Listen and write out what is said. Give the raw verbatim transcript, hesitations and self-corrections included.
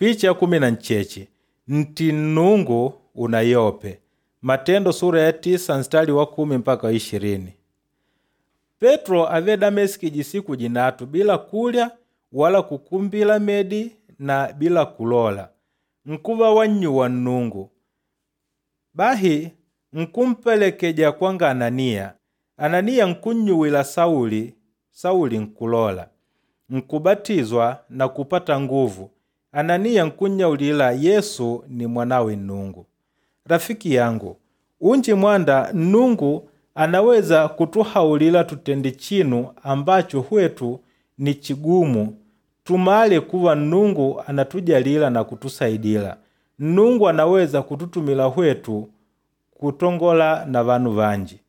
Picha ya kumi na ncheche nti nnungu unayope Matendo sura ya tisa nstari wa kumi mpaka wa ishirini. Petro ave Dameski jisiku jinatu bila kulya wala kukumbila medi na bila kulola, nkuva wannyuwa Nnungu. Bahi nkumpelekeja kwanga Ananiya. Ananiya nkunnyuwila Sauli, Sauli nkulola, nkubatizwa na kupata nguvu. Ananiya nkunnyaulila Yesu ni mwanawe Nnungu. Rafiki yangu, unji mwanda Nnungu anaweza kutuhaulila tutende chinu ambacho hwetu ni chigumu tumale kuva Nnungu anatujalila na kutusaidila. Nnungu anaweza kututumila hwetu kutongola na vanu vanji.